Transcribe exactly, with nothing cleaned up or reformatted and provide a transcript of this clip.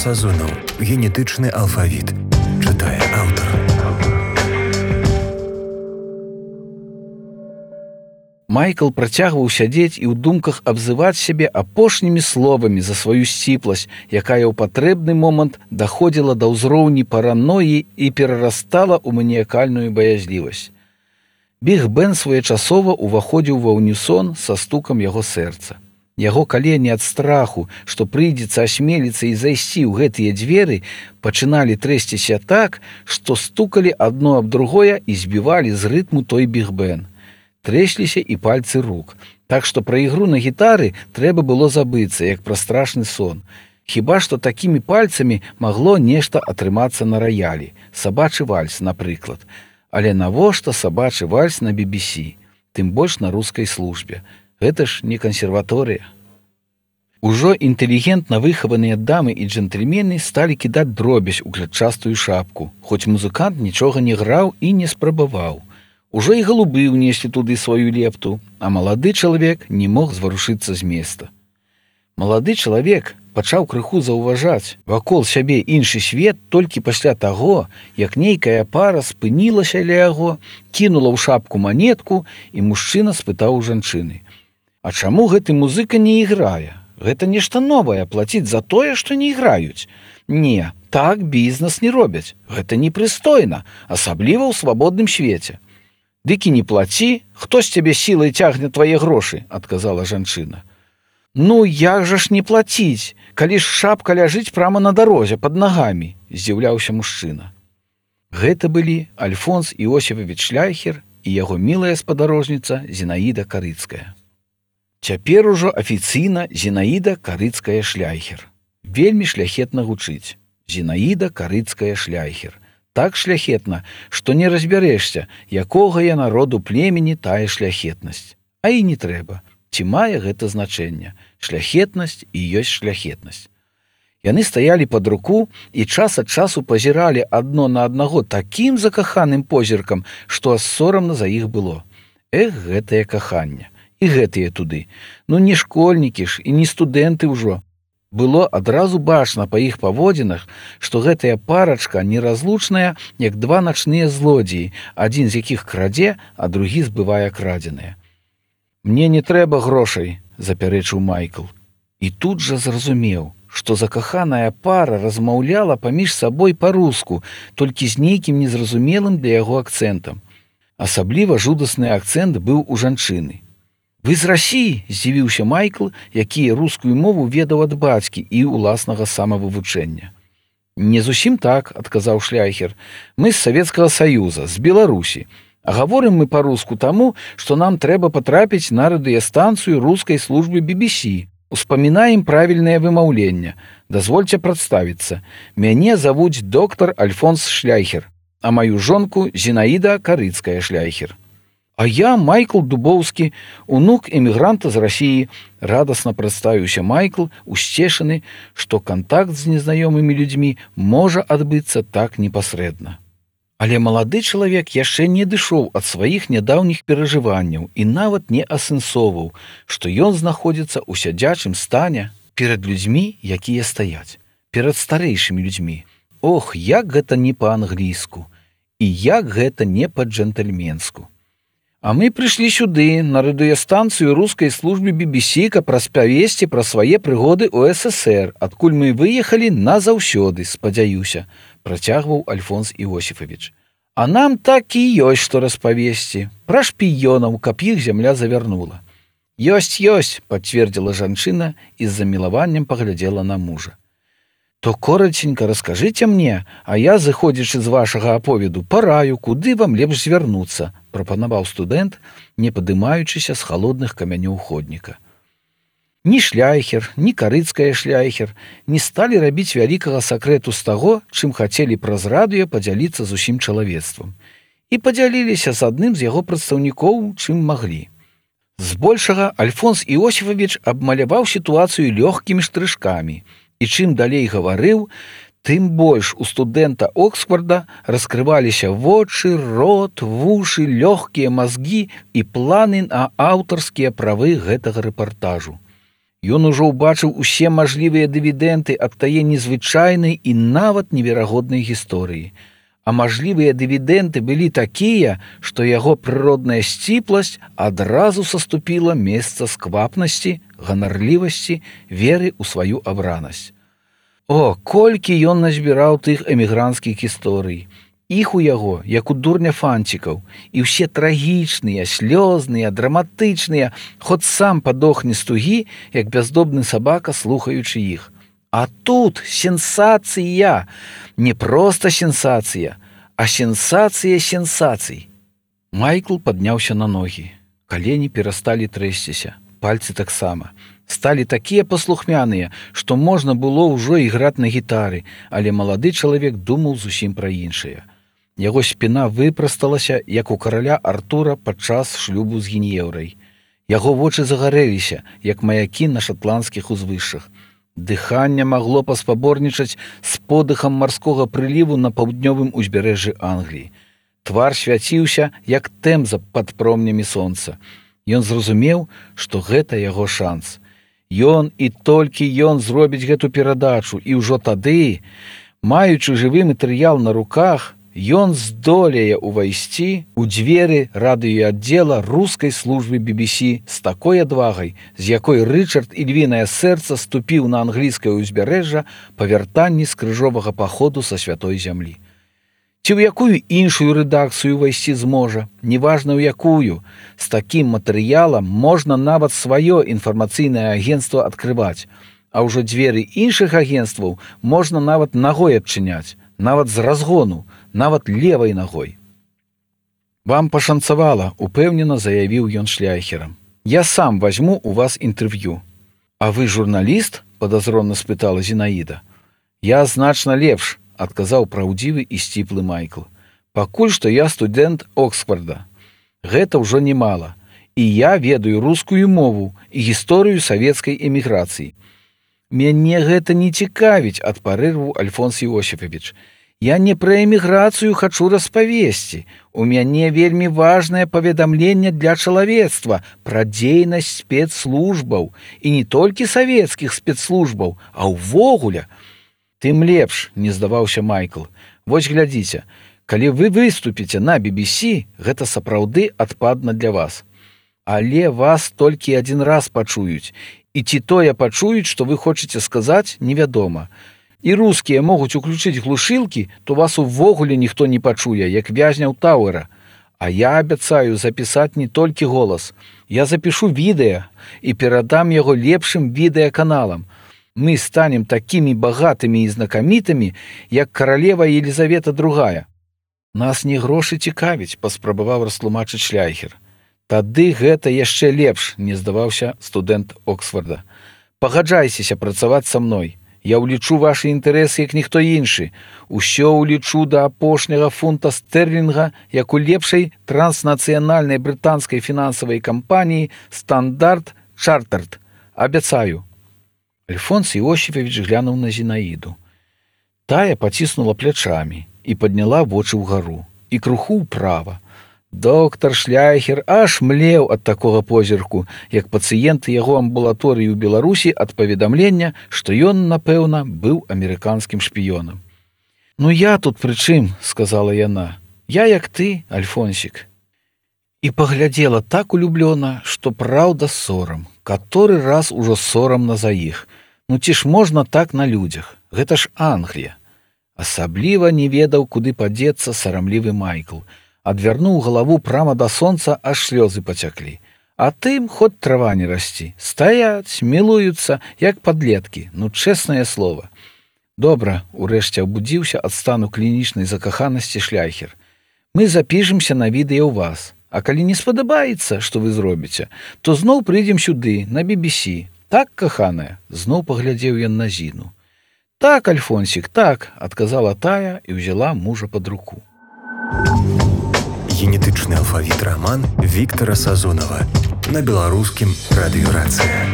Сазонаў. Генетычны алфавіт. Чытае аўтар. Майкл працягваў сядзець і ў думках абзываць сябе апошнімі словамі за сваю сціпласць, якая ў патрэбны момант даходзіла да ўзроўні параноі і перарастала ў маніякальную баязлівасць. Біг-бен своечасова ўваходзіў ва ўнісон са стукам яго сэрца. Яго калені ад страху, што прыйдзецца асмеліцца і зайсці ў гэтыя дзверы, пачыналі трэсціся так, што стукалі адно аб другое і збівалі з рытму той біг-бен. Трэсліся і пальцы рук, так што пра ігру на гітары трэба было забыцца, як пра страшны сон. Хіба што такімі пальцамі магло нешта атрымацца на раялі, сабачы вальс, напрыклад. Але навошта сабачы вальс на би би сі, тым больш на рускай службе? Гэта ж не кансерваторыя. Ужо інтэлігентна выхаваныя дамы і джентльмены сталі кідаць дробязь у клятчастую шапку, хоць музыкант нічога не граў і не спрабаваў. Ужо і галубы ўнеслі туды сваю лепту, а малады чалавек не мог зварушыцца з места. Малады чалавек пачаў крыху заўважаць вакол сябе іншы свет толькі пасля таго, як нейкая пара спынілася ля яго, кінула ў шапку манетку, і мужчына спытаў у жанчыны: «А чаму гэты музыка не іграе? Гэта нешта новае, плаціць за тое, што не іграюць. Не, так бізнес не робяць. Гэта непрыстойна, асабліва ў свабодным свеце». «Дык і не плаці, хто з цябе сілай цягне твае грошы», — адказала жанчына. «Ну, як жа ж не плаціць, калі ж шапка ляжыць прама на дарозе пад нагамі», — здзіўляўся мужчына. Гэта былі Альфонс Іосіфавіч Шляйхер і яго мілая спадарожніца Зінаіда Карыцкая. Цяпер ужо афіцыйна Зінаіда Карыцкая Шляйхер. Вельмі шляхетна гучыць. Зінаіда Карыцкая Шляйхер. Так шляхетна, што не разбярэшся, якога я народу племені тая шляхетнасць. А і не трэба. Ці мае гэта значэнне? Шляхетнасць і ёсць шляхетнасць. Яны стаялі пад руку і час ад часу пазіралі адно на аднаго такім закаханым позіркам, што аж сорамна за іх было. Эх, гэтае каханне. І гэтыя туды. Ну не школьнікі ж і не студэнты ўжо. Было адразу бачна па іх паводзінах, што гэтая парачка неразлучная, як два начныя злодзеі, адзін з якіх крадзе, а другі збывае крадзенае. «Мне не трэба грошай», — запярэчыў Майкл. І тут жа зразумеў, што закаханая пара размаўляла паміж сабой па-руску, толькі з нейкім незразумелым для яго акцэнтам. Асабліва жудасны акцэнт быў у жанчыны. «Вы з Расіі?» — здзівіўся Майкл, які рускую мову ведаў ад бацькі і ўласнага самавывучэння. «Не зусім так», — адказаў Шляйхер. «Мы з Савецкага Саюза, з Беларусі. А гаворым мы па-руску таму, што нам трэба патрапіць на радыёстанцыю рускай службы би би сі. Успамінаем правільнае вымаўленне. Дазвольце прадставіцца. Мяне завуць доктар Альфонс Шляйхер, а маю жонку Зінаіда Карыцкая Шляйхер. А я Майкл Дубоўскі, унук эмігранта з Расіі», — радасна прадставіўся Майкл, усцешаны, што кантакт з незнаёмымі людзьмі можа адбыцца так непасрэдна. Але малады чалавек яшчэ не дышоў ад сваіх нядаўніх перажыванняў і нават не асэнсоўваў, што ён знаходзіцца ў сядзячым стане перад людзьмі, якія стаяць, перад старэйшымі людзьмі. Ох, як гэта не па-англійску, і як гэта не па-джентльменску. «А мы прыйшлі сюды, на радыёстанцыю рускай службы би би сі, каб распавесці пра свае прыгоды ў эс эс ер, адкуль мы выехалі назаўсёды, спадзяюся», — працягваў Альфонс Іосіфавіч. «А нам так і ёсць, што распавесці. Пра шпіёнаў, каб іх зямля завярнула». «Ёсць, ёсць», — пацвердзіла жанчына і з замілаваннем паглядзела на мужа. «То коратенька раскажыце мне, а я, зыходзячы з вашага аповеду, параю, куды вам лепш звярнуцца», — прапанаваў студэнт, не падымаючыся з халодных камянёў ходніка. Ні Шляйхер, ні Карыцкая Шляйхер не сталі рабіць вялікага сакрэту з таго, чым хацелі праз радыё падзяліцца з усім чалавецтвам. І падзяліліся з адным з яго прадстаўнікоў, чым маглі. Збольшага Альфонс Іосіфавіч абмаляваў сітуацыю лёгкімі штрышкамі, і чым далей гаварыў, тым больш у студэнта Оксфорда раскрываліся вочы, рот, вушы, лёгкія мазгі і планы на аўтарскія правы гэтага рэпартажу. Ён ужо ўбачыў усе мажлівыя дывідэнды ад тае незвычайнай і нават неверагоднай гісторыі. А мажлівыя дывідэнды былі такія, што яго прыродная сціпласць адразу саступіла месца сквапнасці, ганарлівасці, веры ў сваю абранасць. О, колькі ён назбіраў тых эмігранцкіх гісторый! Іх у яго, як у дурня фанцікаў, і ўсе трагічныя, слёзныя, драматычныя, хоць сам падохне з тугі, як бяздомны сабака, слухаючы іх. А тут сенсацыя! Не проста сенсацыя, а сенсацыя сенсацый. Майкл падняўся на ногі. Калені перасталі трэсціся, пальцы таксама. Сталі такія паслухмяныя, што можна было ўжо іграць на гітары, але малады чалавек думаў зусім пра іншае. Яго спіна выпрасталася, як у караля Артура падчас шлюбу з Гін'еўрай. Яго вочы загарэліся, як маякі на шатландскіх узвышшах. Дыханне магло паспаборнічаць з подыхам марскога прыліву на паўднёвым узбярэжжы Англіі. Твар свяціўся, як тэмза пад промнямі сонца. Ён зразумеў, што гэта яго шанс. Ён і толькі ён зробіць гэту перадачу, і ўжо тады, маючы жывы матэрыял на руках, ён здолее ўвайсці ў дзверы радыёаддзела рускай службы би би сі з такой адвагай, з якой Рычард і львінае сэрца ступіў на англійскае ўзбярэжжа па вяртанні з крыжовага паходу са святой зямлі. Ці ў якую іншую рэдакцыю ўвайсці зможа, неважна ў якую, з такім матэрыялам можна нават сваё інфармацыйнае агенцтва адкрываць, а ўжо дзверы іншых агенцтваў можна нават нагой адчыняць, нават з разгону, нават левай нагой. Вам пашанцавала, упэўнена заявіў ён шляйхерам. Я сам возьму у вас інтэрв'ю. А вы журналіст? Падазронна спытала Зінаіда. Я значна лепш, адказаў праўдзівы і сціплы Майкл. Пакуль што я студэнт Оксфорда. Гэта ўжо немала. І я ведаю рускую мову і гісторыю савецкай эміграцыі. Мяне гэта не цікавіць, адпарэваў Альфонс Іосіфавіч. Я не пра эміграцыю хачу распавесці. У мяне вельмі важнае паведамленне для чалавецтва пра дзейнасць спецслужбаў, і не толькі савецкіх спецслужбаў, а ўвогуле. Тым лепш, не здаваўся Майкл. Вось глядзіце, калі вы выступіце на би би сі, гэта сапраўды адпадна для вас. Але вас толькі адзін раз пачуюць, і ці тое пачуюць, што вы хочаце сказаць, невядома. І рускія могуць уключыць глушылкі, то вас увогуле ніхто не пачуе, як вязняў Тауэра. А я абяцаю запісаць не толькі голас. Я запішу відэа і перадам яго лепшым відэаканалам. Мы станем такімі багатымі і знакамітымі, як каралева Елізавета другая. Нас не грошы цікавіць, паспрабаваў растлумачыць шляйхер. Тады гэта яшчэ лепш, не здаваўся студэнт Оксфорда. Пагаджайцеся працаваць са мной. Я ўлічу вашы інтарэсы, як ніхто іншы. Усё ўлічу да апошняга фунта стэрлінга, як у лепшай транснацыянальнай брытанскай фінансавай кампаніі «Стандарт Чартард». Абяцаю. Альфонс Іосіфавіч глянуў на Зінаіду. Тая паціснула плячамі і падняла вочы ўгару, і круху ўправа. Доктар Шляйхер аж млеў ад такога позірку, як пацыенты яго амбулаторыі ў Беларусі ад паведамлення, што ён, напэўна, быў амерыканскім шпіёнам. «Ну я тут пры чым?» – сказала яна. «Я як ты, Альфонсік». І паглядзела так улюблёна, што праўда сорам. Каторы раз ужо сорамна за іх. Ну ці ж можна так на людзях? Гэта ж Англія. Асабліва не ведаў, куды падзецца сарамлівы Майкл. Адвярнуў галаву прама да сонца, аж слёзы пацяклі. А тым хоць трава не расці. Стаяць, мілуюцца, як падлеткі. Ну, чэснае слова. Добра, урэшце абудзіўся ад стану клінічнай закаханасці шляйхер. Мы запішемся на відэа ў вас. А калі не спадабаецца, што вы зробіце, то зноў прыйдзем сюды, на би би сі. Так, каханая? Зноў паглядзеў ён на Зіну. Так, Альфонсік, так, адказала тая і ўзяла мужа пад руку. Генетычны алфавіт раман Віктара Сазонава на беларускім радыёрацыя.